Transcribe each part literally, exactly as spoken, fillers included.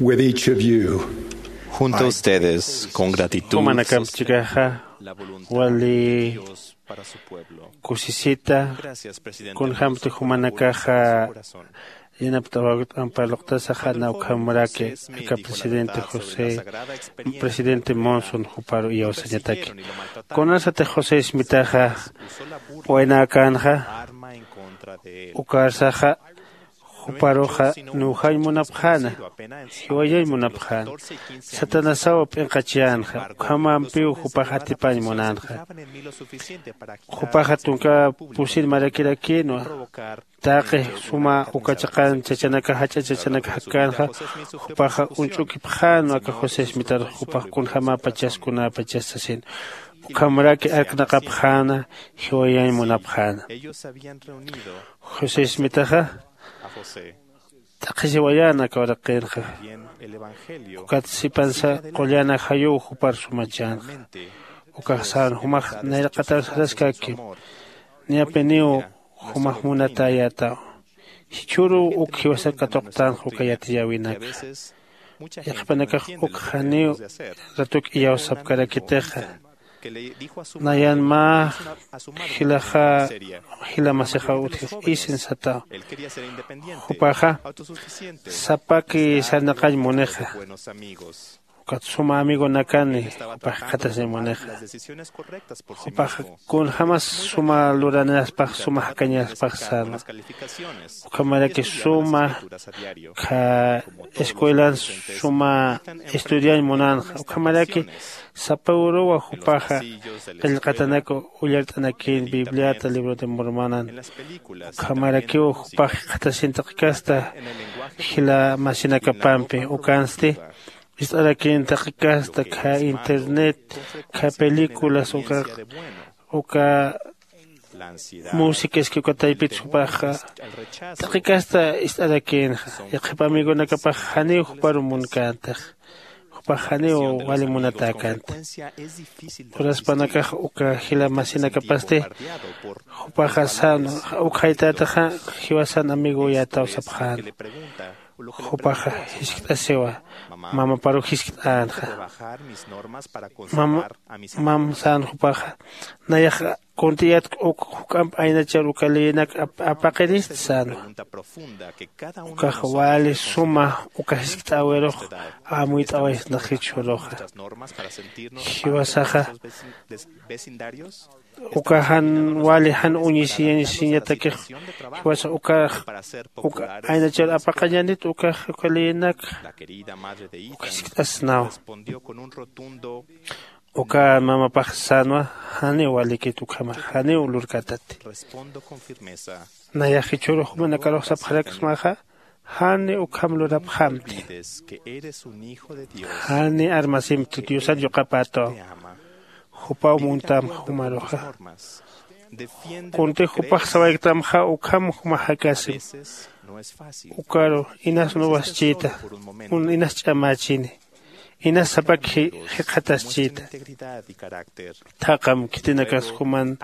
With each of you, junto a ustedes, con gratitud, jumanakamp chikaxa wali kusisita. Kunjämti jumanakaxa yanapt'awakta amparluqtasaxa, na ukhamraki aka presidente José, presidente Monson juparu iyawsañataki. Kunasatix José Smitaxa waynäkänxa, ukarsaxa juparuxa nujañ munapxäna, jiwayañ munapxäna. Satanasaw p'inqachiyänxa, ukhamampiw jupax atipañ munänxa. Jupaxa tunka pusin marakirakïnwa. Taqi suma uka chiqan chachanaka, jach'a chachanaka jakkänxa, jupaxa uñch'ukipxänwa aka José Smitarux, jupax kunjämapachas kunäpachas sasin. Ukhamraki arknaqapxäna, jiwayañ munapxäna. José Smitaxa t'aqhisiwayän aka uraqinxa. Ukat sipansa qullan ajayuw jupar sumachänxa. Ukax sän jumax nayraqatar saraskakim. Niyapiniw jumax munatäyätaw. Jichhüruw uk jiwasar katuqtänxa uka yatiyäwinakxa. Yaqhipanakax uk janiw ratuk iyawsapkarakitixa. Nayan mä jilaxa, jila masixa utjix isin sataw. Jupaxa sapaki sarnaqañ munixa. Ukat suma amigonakani jupax jikxatasin munixa. Jupaxa kunjämas suma luranaspax, suma jakañaspax sänwa. Ukhamaraki suma kha escuelan suma estudiañ munänxa. Ukhamaraki sapa uruwa jupaxa qillqatanak ullart'anakïn Bibliata, Libro de Mormonan. Ukhamarakiw jupax jikxatasin taqi kasta jila masinakapampi. Ukansti ist'arakïn taqi kasta kha internet, kha películas, uka, uka música, es que uka taypit jupaxa taqi kasta ist'arakïnxa. Yaqhip amigonakapax janiw juparu munkäntax. Jupax janiw wali munatäkänti. Uraspanakax uka jila masinakapasti jupaxa sänwa, uk jaytätaxa jiwasan amigoyätaw sapxäna. Jupaxa jiskt'asiwa, mamaparu jiskt'änxa. Mama, mam sän jupaxa, nayax kuntiyatk uk juk'amp aynachar uka leyinak ap-, apaqirist sänwa. Ukax wali suma uka jiskt'äwirux amuyt'awaysnax jichhüruxa. Jiwasaxa uka jan wali jan uñisiñatakix, jiwasa ukax uka aynachar apaqañanit ukax uka leyinak uk jiskt'asnaw. Uka mamapax sänwa, janiw walikit ukhama, janiw lurkätati. Nayax jichhürux jumanakarux sapxaraksmaxa, jani ukham lurapxamti. Jani armasimti, Diosar yuqapätaw. Jupaw muntam jumaruxa. Kuntix jupax sawayktamxa ukham jumax jakasim. Ukaru inas nuwaschïta, un inas ch'amächini, inas sapak ji-, jikxataschïta. Thaqham khitinakas juman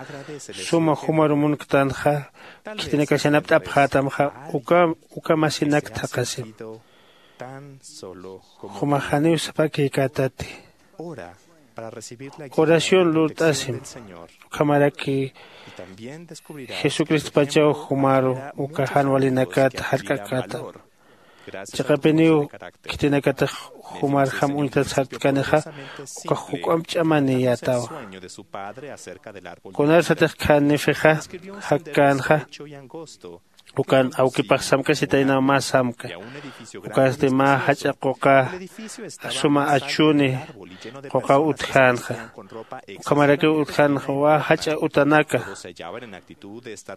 suma jumaru munktanxa, khitinakas yanapt'apxätamxa, uka, uka masinak thaqhasim. Jumax janiw sapakïkätati. Oración lurt'asim. Ukhamaraki Jesucristopachaw jumaru uka jan walinakat jark'akäta. Chiqapiniw khitinakatix jumarjam uñtat sartkanixa, ukax juk'amp ch'amaniyätawa. Kunarsatix khan Nefixa jakkänxa, ukan awkipax samkasitaynaw mä samka. Ukasti mä jach'a quqa suma achuni quqaw utjänxa. Ukhamarakiw utjänxa wä jach'a utanaka.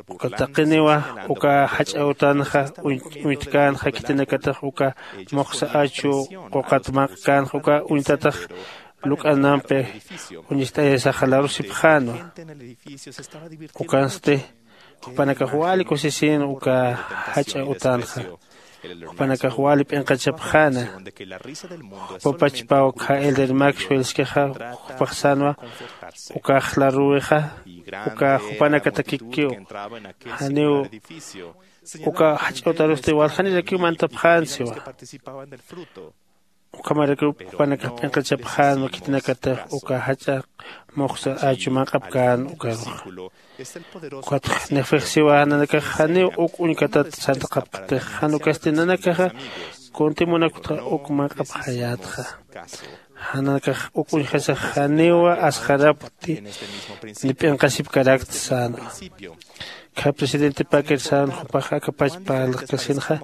Uka taqiniwa uka jach'a utanxa uñ-, uñtkänxa khitinakatix uka muxsa achu quqat manq'känxa uka uñtatax luk'anampi uñist'ayasaxa larusipxänwa. Ukansti jupanakax wali kusisïn uka jach'a utanxa. Jupanakax wali p'inqachapxäna. Jupapachpaw kha Elder Maxwell iskixa jupax sänwa, ukax laruwixa, uka jupanakatakikiw. Janiw uka jach'a utarusti waljanirakiw mantapxän siwa. Ukhamarakiw jupanakax p'inqachapxänwa khitinakatix uka jach'a muxsa achu manq'apkän ukaruxa. Ukatx nefejsiwa nanakax janiw uk uñkatat sartaqapktix jan ukasti nanakaxa kunti munakutxa uk manq'apxayätxa. Janakax uk uñjasax janiwa asxarapkti ni p'inqasipkarakti sänwa. Kha presidente paker sän jupax akapach parlaqkasinxa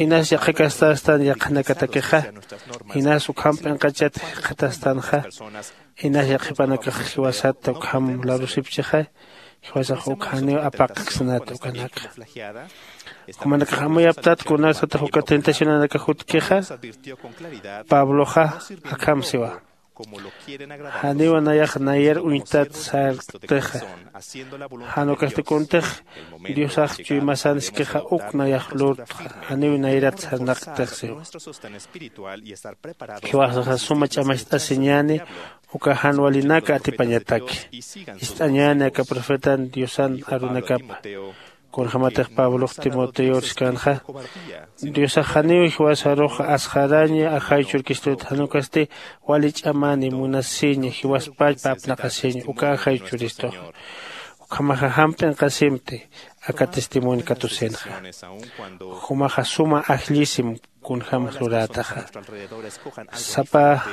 inas yaqhakastastan yaqhanakatakixa inas ukham p'inqachat jikxatastanxa inas yaqhipanakax jiwasatta ukham larusipchixa. Jiwasax uk janiw apaqksnat ukanaka jumanakax amuyaptat kunasatix uka tentacionanakax jutkixa. Pabloxa akham siwa janiw nayax nayar uñtat sarktixa jan ukasti kuntix diosax chuymasan iskixa uk nayax lurtxa janiw nayrat sarnaqktix siwa. Jiwasaxa suma ch'amacht'asiñäni uka jan walinaka atipañataki. Ist'añäni aka profetan diosan arunakapa kunjämatix pablox timoteor siskänxa diosax janiw jiwasarux asxaraña ajay churkistut jan ukasti wali ch'amäni munasiña jiwaspachpa apnaqasiña uka ajay churistuxa. Ukhamaxa jam p'inqasimti aka testimonio katusinxa. Jumaxa suma ajllisim kunjämas lurätaxa sapa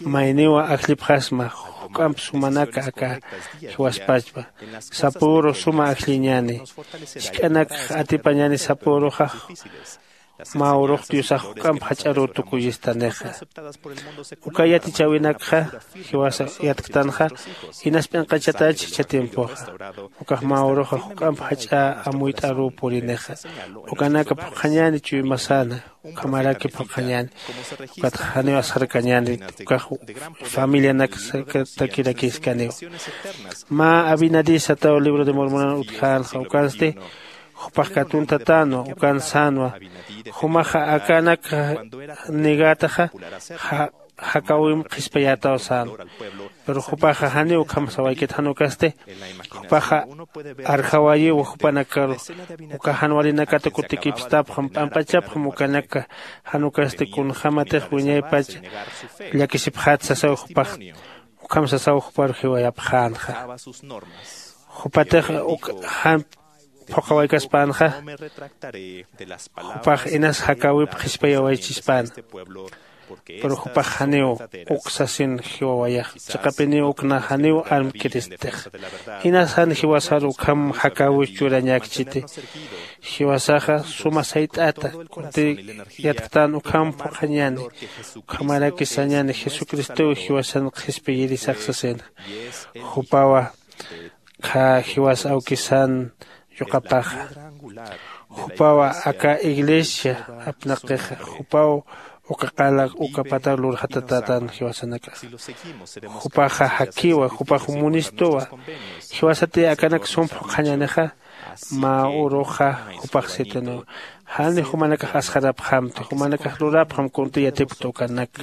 mayniwa ajllipxasma juk'amp sumanaka aka jiwaspachpa. Sapüru suma ajlliñäni jisk'anakxa atipañäni sapüruxa mä urux diosax juk'amp jach'aruw tukuyistanixa. Uka yatichäwinakxa jiwasa yatktanxa inas p'inqachatach jichha tiempoxa ukax mä uruxa juk'amp jach'a amuyt'aruw purinixa. Ukanaka phuqhañäni chuymasana ukhamaraki phuqhañäni. Ukatxa janiw asxarkañäni ukax familianak sakatakirakïskaniw. Mä abinadí sataw libro de mormonan utjänxa ukansti jupax katuntatänwa ukan sänwa. Jumaxa akanak negätaxa jakäwimp qhispayätaw sänwa. Pero jupaxa janiw ukham sawaykit jan ukasti jupaxa arjawayiwa jupanakaru uka jan walinakat kutikipstapxam p'amp'achapxam ukanaka jan ukasti kunjämatix wiñaypach llakisipxät sasaw jupax. Ukham sasaw juparu jiwayapxänxa jupatix uk jan phuqhawaykaspäna jupax inas jakäwip qhispayawaychispäna. Pero jupax janiw uk sasin jiwawayax chiqapiniw uk na janiw armkiristix. Inas jan jiwasaru ukham jakäwis churañäkchiti. Jiwasaxa suma sayt'ata kunti yatktän ukham phuqhañäni ukhamaraki sañäni jesucristow jiwasan qhispiyirisax sasina. Jupawa khä jiwas awkisan yuqapaxa. Jupawa aka iglesia apnaqixa jupaw uka qala uka pata lurxatatätan jiwasanakaxa. Jupaxa jakiwa jupax munistuwa. Jiwasati akanak sum phuqhañänixa mä uruxa jupax sitiniwa. Jani jumanakax asxarapxamti jumanakax lurapxam kunti yatipkta ukanaka.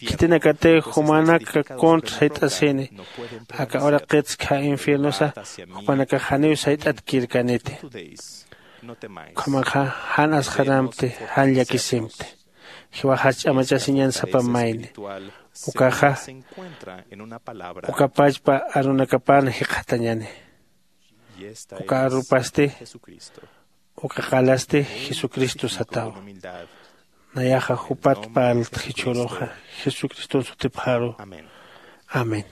Khitinakatix jumanaka contra sayt'asini aka uraqitsa khä infiernosa jupanakax janiw sayt'atkirkaniti. Ukhamaxa jan asxaramti jan llakisimti. Jiwaxas ch'amachasiñan sapa mayni ukaxa ukapachpa arunakapan jikxatañani. Uka arupasti uka qalasti jesucristo satawa. Nayaxa jupat parltxichhuruxa jesucriston sutipxaru. Amén.